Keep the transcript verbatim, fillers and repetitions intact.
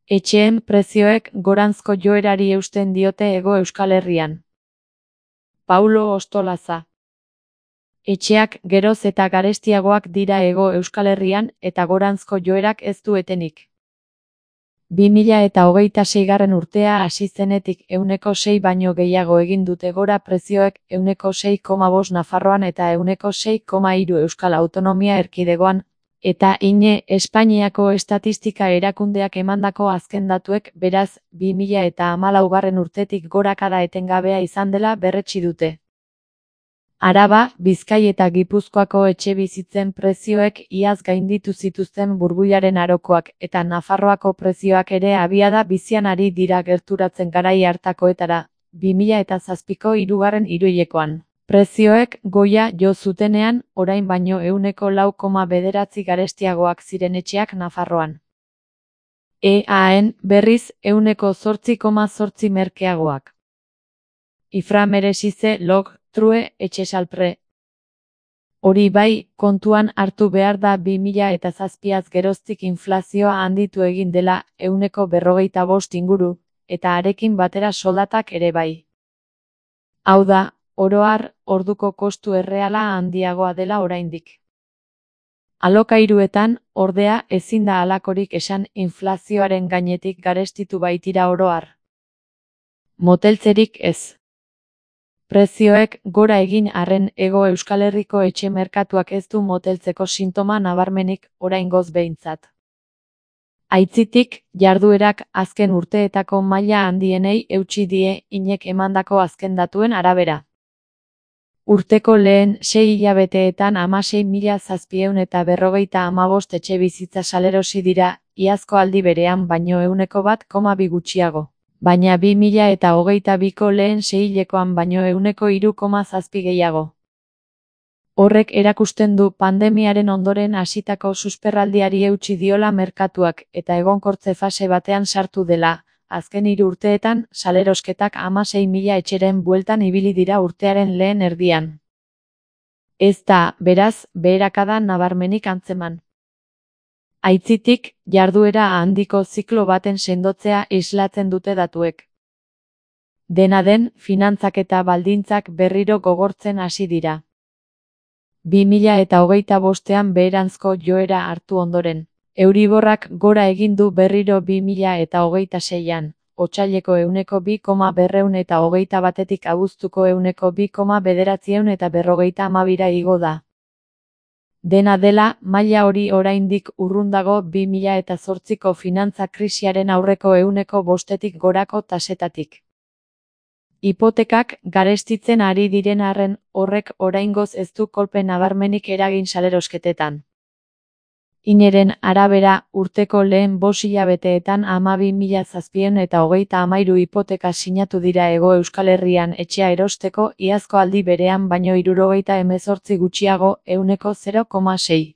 Etxeen prezioek goranzko joerari eusten diote Hego Euskal Herrian. Paulo Ostolaza. Etxeak geroz eta garestiagoak dira Hego Euskal Herrian eta goranzko joerak ez du etenik. bi mila eta hogeita seigarren urtea hasi zenetik ehuneko sei baino gehiago egin dute gora prezioek, ehuneko sei koma bost Nafarroan eta ehuneko sei koma hiru Euskal Autonomia Erkidegoan, eta ine Espainiako Estatistika Erakundeak emandako azken datuek, beraz, bi mila eta hamalaugarren urtetik gorakada etengabea izan dela berretsi dute. Araba, Bizkai eta Gipuzkoako etxebizitzen prezioek iaz gainditu zituzten burbuilaren arokoak eta Nafarroako prezioak ere abiada bizian ari dira gerturatzen garai hartakoetara, bi mila eta zazpiko hirugarren hiruhilekoan. Prezioek goia jo zutenean, orain baino ehuneko lau koma bederatzi garestiagoak ziren etxeak Nafarroan. E A N berriz ehuneko zortzi koma zortzi merkeagoak. Ifra meresize log, true, etxesalpre. Hori bai, kontuan hartu behar da bi mila eta zazpiaz geroztik inflazioa handitu egin dela ehuneko berrogeita bost inguru, eta arekin batera soldatak ere bai. Hau da, oro har, orduko kostu erreala handiagoa dela oraindik. Alokairuetan, ordea, ezin da halakorik esan inflazioaren gainetik garestitu baitira oro har. Moteltzerik ez. Prezioek gora egin arren Hego Euskal Herriko etxe merkatuak ez du moteltzeko sintoma nabarmenik oraingoz behintzat. Aitzitik, jarduerak azken urteetako maila handienei eutsi die inek emandako azken datuen arabera. Urteko lehen sei hilabeteetan hamasei mila zazpiehun eta berrogeita hamabost etxebizitza salerosi dira, iazko aldi berean baino ehuneko bat koma bi gutxiago. Baina bi mila eta hogeita biko lehen seihilekoan baino ehuneko hiru koma zazpi gehiago. Horrek erakusten du pandemiaren ondoren hasitako susperraldiari eutsi diola merkatuak eta egonkortze fase batean sartu dela, azken hiru urteetan salerosketak hamasei mila etxeren bueltan ibili dira urtearen lehen erdian. Ez da, beraz, beherakada nabarmenik antzeman. Aitzitik, jarduera handiko ziklo baten sendotzea islatzen dute datuek. Dena den, finantzak eta baldintzak berriro gogortzen hasi dira. bi mila eta hogeita bostean beheranzko joera hartu ondoren. Euriborrak gora egin du berriro bi mila eta hogeita seian, otsaileko ehuneko bi koma berrehun eta hogeita batetik abuztuko ehuneko bi koma bederatzieun eta berrogeita hamabira igo da. Dena dela, maila hori oraindik urrun dago bi mila eta zortziko finantza krisiaren aurreko ehuneko bostetik gorako tasetatik. Hipotekak garestitzen ari diren arren, horrek oraingoz ez du kolpe nabarmenik eragin salerosketetan. Ineren arabera, urteko lehen bost hilabeteetan hamabi mila zazpiehun eta hogeita hamairu hipoteka sinatu dira Hego Euskal Herrian etxea erosteko iazko aldi berean baino hirurogeita hemezortzi gutxiago, ehuneko zero koma sei.